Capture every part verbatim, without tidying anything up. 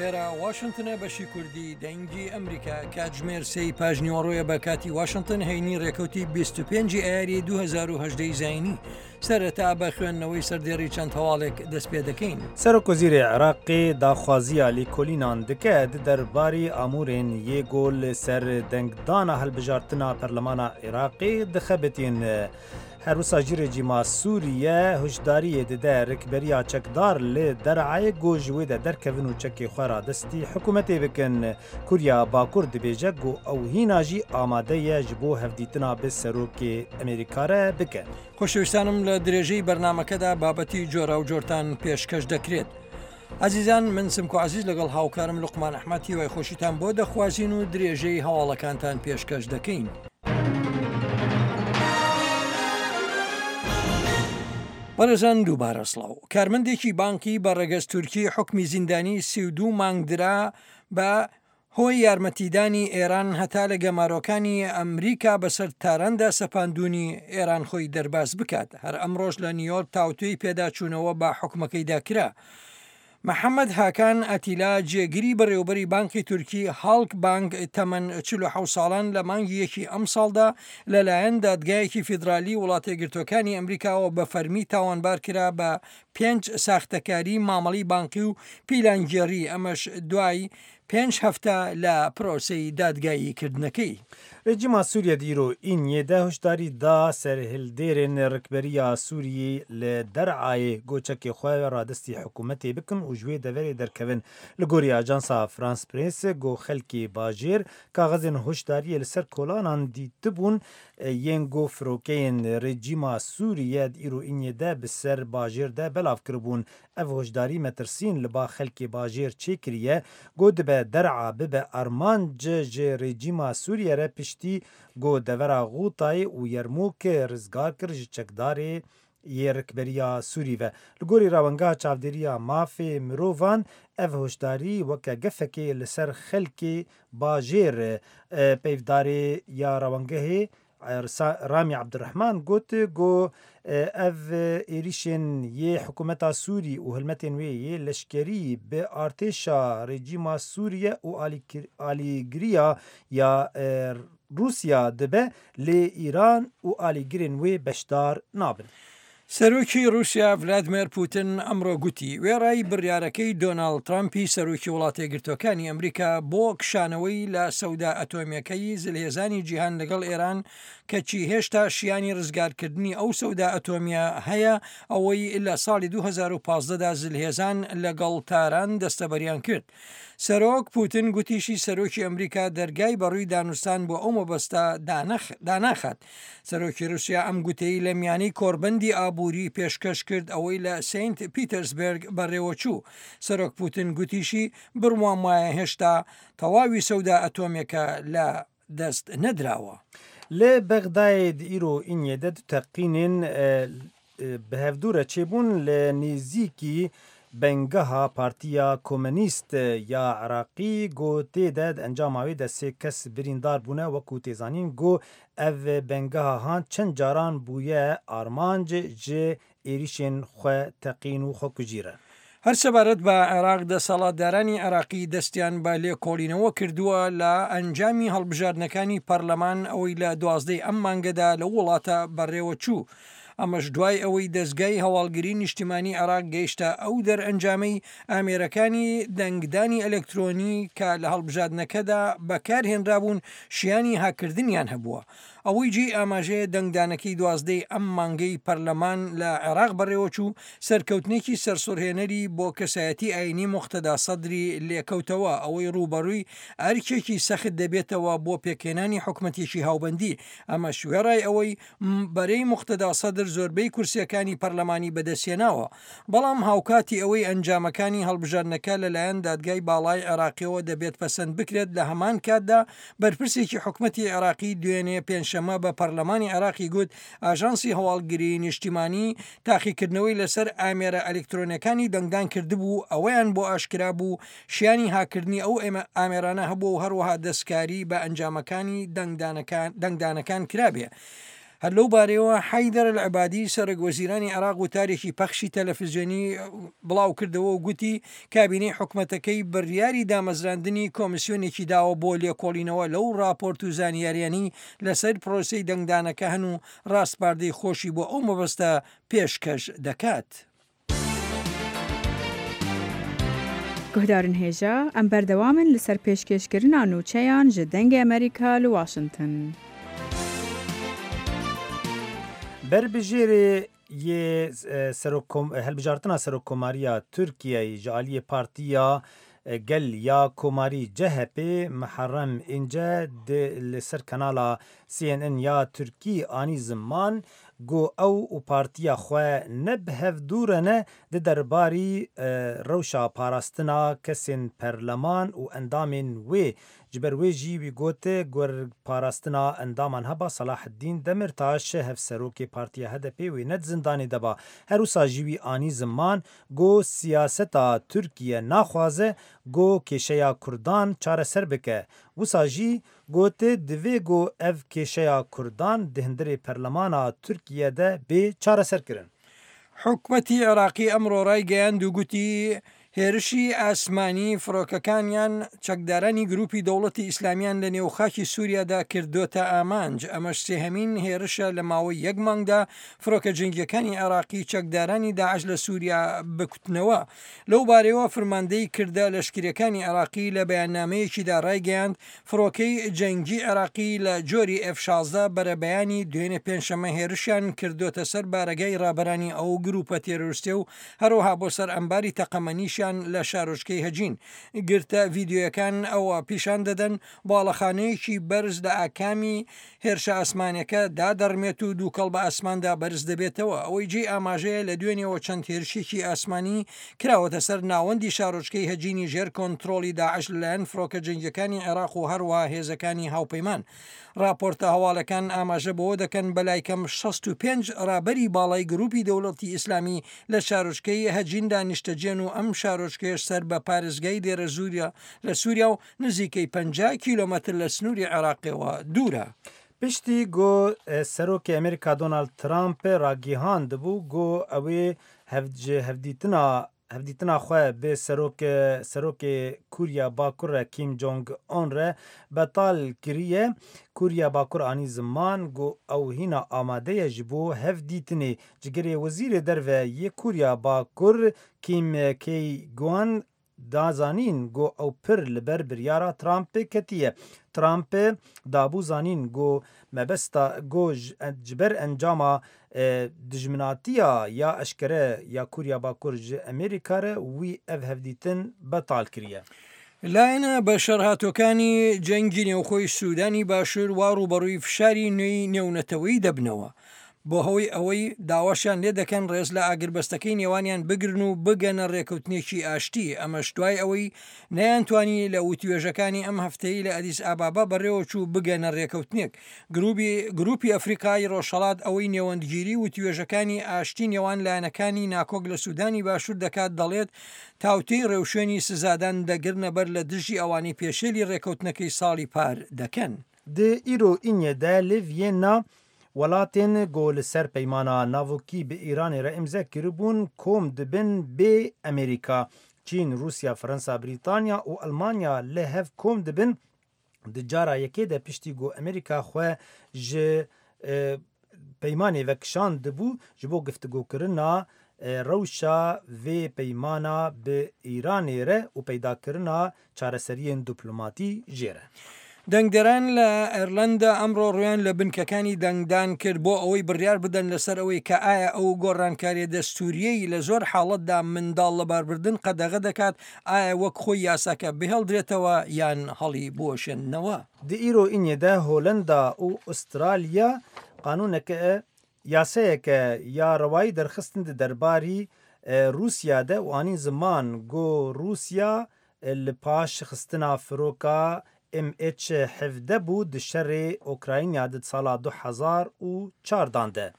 ئێرە واشنتنە، بەشی کوردی دەنگی ئەمریکا. کاتژمێر سێی پاژنیوەڕۆیە بە کاتی واشنتن، هەینی ڕێکەوتی بیست و پێنج ئایاری دوو هەزار و هەژدە زایینی. سەرەتا بە خوێندنەوەی سەردێڕی چەند هەواڵێک دەست پێ دەکەین. سەرۆک وەزیری عێراقی داخوازیە لێکۆلینان دکە دەرباری ئامورێن یێگۆل سەر دەنگدانە هەلبژارتنا پەرلەمانە عێراقی دخەبتین. هەروسا ژی رێژیما سووریە هۆشداریە ددە ڕکبەریا چەکدار لێ دەرعایە گۆ ji wê de derkevin û çekê xwe radestî hikûmetê bikin. Kurya Bakur dibêje ku ew hîna jî amade ye ji bo hevdîtina bi serokê Amerîka re bike. خۆشەویستانم لە درێژەی بەرنامەکەدا بابەتی جۆرا و جۆرتان پێشکەش دەکرێت. عزیزان، من سمکۆ عزیز لەگەڵ هاوکارم لوقمان ئەحمەد هیوای خۆشیتان بۆ دەخوازین و درێژەی هەواڵەکانتان پێشکەش دەکەین. بەڕێزان دووبارە سڵاو. کارمەندێکی بانکی بە ڕەگەز تورکی حکمی زیندانی سی و دوو مانگ درا بە هۆی یارمەتیدانی ئێران هەتا لە گەمارۆکانی ئەمریکا بەسەر تاراندا سەپاندونی ئێران خۆی دەرباز بکات. هەر ئەمڕۆژ لە نیویۆرک تاوتوێی پێداچوونەوە بە حکومەکەیدا کرا. محەممەد هاکان ئەتیلا جێگیری بەڕێوبەری بانکی تورکی هاڵک بانک تەمەن چل و حەوت ساڵان لە مانگی یەکی ئەمساڵدا لەلایەن دادگایەکی فیدرالی وڵاتەیەکگرتووەکانی ئەمریکاوە بە فەرمی تاوانبار کرا بە پێنج ساختەکاری مامەڵی بانکی و پیلانگێڕی، ئەمەش دوای پێنج هەفتە لە پرۆسەی دادگاییکردنەکەی. رژیما سووریە دیرۆ ئینیێ دە هۆشداری دا سەرهلدێرên ڕکبەریە سووریە لە دەرعایê گۆچەکê xwe radestî hikûmetê bikin û ji wê deverê derkevin. Li gorî ajansa France Press got xelkê bajêr kaxezên hişdariyê li ser kolanan dîtibûn yên got firokeyên rejîma Sûriye îro îniyê de bi ser bajêr de belav kiribûn. Ev hişdarî metirsîn li ba xelkê bajêr çêkiriye got dibe der'a bibe armanc ji rejîma Sûriye re piştî got devera Ğutayê û Yermûkê rizgar kir ji çekdarê yê rikberiya Sûrî ve. Li gorî rawengeha çavdêriya mafê mirovan ev hişdarî weke gefekê li ser xelkê bajêr peyvdarê ya rawengehê Rami Abdurrahman got got ev êrişên yê hikûmeta Sûrî û hilmetên wê yê leşkerî bi artêşa rejîma Sûriye û alîgiriya ya Rûsya dibe lê Îran û alîgirên wê beşdar nabin. سەرۆکی رووسیا ڤلادیمێر پوتین ئەمڕۆ گوتی وێڕای بڕیارەکەی دۆناڵد ترامپی سەرۆکی وڵاتەیەکگرتووەکانی ئەمریکا بۆ کشانەوەی لە سەودا ئەتۆمیەکەی زلهێزانی جیهان لەگەڵ ئێران کەچی هێشتا شیانی ڕزگارکردنی ئەو سەودا ئەتۆمیە هەیە، ئەوەی لە ساڵی دوو هەزار و پازدەدا زلهێزان لەگەڵ تاران دەستەبەریان کرد. سەرۆک پوتین گوتیشی سەرۆکی ئەمریکا دەرگای بەڕووی دانوستان بۆ ئەو مەبەستە داناخات. سەرۆکی رووسیا ئەم گوتەی لە میانەی کۆربەندی ئابووری پێشکەش کرد ئەوەی لە سینت پیتەرسبرگ بەڕێوەچوو. سەرۆک پوتین گوتیشی بڕوام وایە هێشتا تەواوی سەودا ئەتۆمیەکە لە دەست نەدراوە. لێ بەغدایê îro îniyê de du teqînên bi hevdû re çêbûn li nêzîkî bengeha Partiya Komünîst ya Iraqî got tê de di encama wê de sê kes birîndar bûne wekû tê zanîn got ev bengeha han çend caran bûye armanc ji êrişên xwe teqîn û xwekujî re. هەر سەبارەت بە عێراق دەسەڵاتدارانی عێراقی دەستیان بە لێکۆڵینەوە کردووە لە ئەنجامی هەڵبژاردنەکانی پەرلەمان ئەوەی لە دوازدەی ئەم مانگەدا لە وڵاتە بەڕێوە چوو. ئەمەش دوای ئەوەی دەستگای هەواڵگری نیشتیمانی عێراق گەیشتە ئەو دەرئەنجامەی ئامێرەکانی دەنگدانی ئەلکترۆنی کە لە هەڵبژاردنەکەدا بەکارهێنرابوون شیانی هاکردنیان هەبووە. ئەوەی جێی ئاماژەیە دەنگدانەکەی دوازدەی ئەم مانگەی پەرلەمان لە عێراق بەڕێوەچوو سەرکەوتنێکی سەرسوڕهێنەری بۆ کەسایەتی ئاینی موقتەدا سەدری لێکەوتەوە، ئەوەی ڕووبەڕووی ئەرکێکی سەخت دەبێتەوە بۆ پێکهێنانی حکومەتێکی هاوبەندی. ئەمەش وێڕای ئەوەی بەرەی موقتەدا سەدر زۆربەی کورسیەکانی پەرلەمانی بەدەستهێناوە، بەڵام هاوکاتی ئەوەی ئەنجامەکانی هەڵبژاردنەکە لەلایەن دادگای باڵای عێراقیەوە دەبێت پەسەند بکرێت. لە هەمان کاتدا بەرپرسێکی حکومەتی عێراقی دوێنێ پێنجشەممە بە پەرلەمانی عێراقی گوت ئاژانسی هەواڵگری نیشتیمانی تاقیکردنەوەی لەسەر ئامێرە ئەلکترۆنیەکانی دەنگدان کردبوو، ئەوەیان بۆ ئاشکرا بوو شیانی هاکردنی ئەو ئامێرانە هەبوو و هەروەها دەستکاری بە ئەنجامەکانی دەنگدانەکان کرابێ. هەر لەو بارەیەوە حەیدەر ئەلعەبادی سەرۆک وەزیرانی عێراق وتارێکی پەخشی تەلەفزیۆنی بڵاو کردەوە و گوتی کابینەی حکومەتەکەی بڕیاری دامەزراندنی کۆمیسیۆنێکی داوە بۆ لێکۆڵینەوە لەو راپۆرت و زانیاریانی لەسەر پرۆسەی دەنگدانەکە هەن و ڕاسپاردەی خۆشی بۆ ئەو مەبەستە پێشکەش دەکات. Guhdarên hêja em berdewam in li ser pêşkêşkirina nûçeyan ji Dengê Amerîka li Washington. Berbijêrê yê hilbijartina Serokkomariya Tirkiyeyê ji aliyê Partiya Gel ya Komarî C H P Muharrem İnce li ser kanala C N N ya Tirkî anî ziman got ew û partiya xwe ne bi hev dû re ne di derbarî rewşa parastina kesên perleman û endamên wê ji ber wê jî wî got ger parastina endaman heba Selahaddîn Demirtaş hevserokê Partiya H D P wê ne di zindanê de ba. Her wisa jî wî anî ziman got siyaseta Tirkiye naxwaze got kêşeya Kurdan çareser bike. Wisa jî got divê got ev kêşeya Kurdan di hundirê perlemana Tirkiye de bê çareserkirin. حکومەتی عێراقی ئەمڕۆ ڕایگەیاند و گوتی هێرشی ئاسمانی فڕۆکەکانیان چەکدارانی گروپی دەوڵەتی ئیسلامیان لە نێوخاکی سووریادا کردوتە ئامانج. ئەمەش سێهەمین هێرشە لە ماوەی یەک مانگدا فڕۆکە جەنگیەکانی عێراقی چەکدارانی داعش لە سووریا بکوتنەوە. لەو بارەیەوە فەرماندەی کردە لەشکریەکانی عێراقی لە بەیاننامەیەکیدا ڕایگەیاند فڕۆکەی جەنگی عێراقی لە جۆری ئێف شازدە بەرەبەیانی دوێنێ پێنجشەممە هێرشیان کردوتە سەر بارەگای ڕابەرانی ئەو گروپە تێرۆریستێ و هەروەها بۆ سەر ئەمباری تەقەمەنیشیان لە شارۆچکەی هەجین. گرتە ڤیدیۆیەکان ئەوە پیشان دەدەن باڵەخانەیەکی بەرز لە ئاکامی هێرشە ئاسمانەکە دادەڕمێت و دووکەڵ بە ئاسماندا بەرز دەبێتەوە. ئەوەی جێی ئاماژەیە لە دوێنێەوە چەند هێرشێکی ئاسمانی کراوەتە سەر ناوەندی شارۆچکەی هەجینی ژێر کۆنترۆڵی داعش لەلایەن فڕۆکە جەنگیەکانی عێراق و هەروەها هێزەکانی هاوپەیمان. راپۆرتە هەواڵەکان ئاماژە بەوە دەکەن بەلای کەم شەست و پێنج ڕابەری باڵای گروپی دەوڵەتی ئیسلامی لە شارۆچکەی هەجیندا نیشتەجێن و ئەم شارۆچکەیەش سەر بە پارێزگای دێرەزووریا لە سووریا و نزیکەی پەنجا کیلۆمەتر لە سنووری عێراقەوە دوورە. Piştî ku Serokê Amerîka Donald Trump ragihandibû got ew ê ji hevdîtina hevdîtina xwe bi serok serokê Koriya Bakur re Kim Jong Un re betal kiriye. Koriya Bakur anî ziman got ew hîna amade ye ji bo hevdîtinê. Cigirê Wezîrê Derve yê Koriya Bakur Kim Kye-gwan da zanîn got ew pir li ber biryara Trump ketiye. Trump dabû zanîn got mebesta got ji ber encama dijminatiya ya eşkere ya Koriya Bakur ji Amerîka re wî ev hevdîtin betal kiriye. لایەنە بەشەرهاتوەکانی جەنگی نێوخۆی سوودانی باشوور وا ڕووبەڕووی فشاری نوێی نێونەتەوەی دەبنەوە بۆ هۆی ئەوەی داواشیان لێ دەکەن ڕێز لە ئاگربەستەکەی نێوانیان بگرن و بگەنە ڕێکەوتنێکی ئاشتی. ئەمەش دوای ئەوەی نەیانتوانی لە وتوێژەکانی ئەم هەفتەی لە ئەدیس ئابابا بەڕێوەچوو بگەنە ڕێکەوتنێک. گروپی ئەفریقای ڕۆژهەڵات ئەوەی نێوەندگیری وتوێژەکانی ئاشتی نێوان لایەنەکانی ناکۆک لە سوودانی باشوور دەکات دەڵێت تاوتێی ڕێوشوێنی سزادان دەگرنە بەر لە دژی ئەوانەی پێشێلی ڕێکەوتنەکەی ساڵی پار دەکەن. Di îro înê de li Vienna welatên ku li ser peymana navokî bi Îranê re îmze kiribûn kom dibin bê Amerîka. Çîn, Rûsya, Fransa, Brîtanya û Elmanya li hev kom dibin di cara yekê de piştî ku Amerîka xwe ji peymanê vekişandibû ji bo guftigokirina rewşa vê peymana bi Îranê re û peydakirina çareseriyên diplomatî jê re. دەنگدەران لە ئێرلەندا ئەمڕۆ ڕویان لە بنکەکانی دەنگدان کرد بۆ ئەوەی بڕیار بدەن لەسەر ئەوەی کە ئایا ئەو گۆڕانکاریە دەستوریەی لە زۆر حاڵەتدا منداڵ لەباربردن قەدەغە دەکات ئایا وەک خۆی یاساکە بهێڵدرێتەوە یان هەڵی بوەشێننەوە. Di îro înê de Holenda û Awistralya qanûneke yasayeke ya rewayî derxistin di derbarî Rûsya de û anîn ziman got Rûsya li paş xistina firoka M H hevdeh bû di şerê Ukrayna di sala du hezar û çardan de.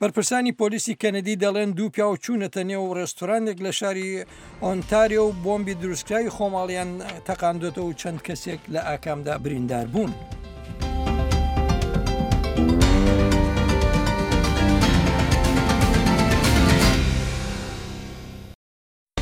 بەرپرسانی پۆلیسی کەنەدی دەڵێن دوو پیاو چوونەتە نێو ڕێستورانێک لە شاری ئۆنتاریۆ و بۆمبی دروستکراوی خۆماڵیان تەقاندۆتەوە و چەند کەسێک لە ئاکامدا بریندار بوون.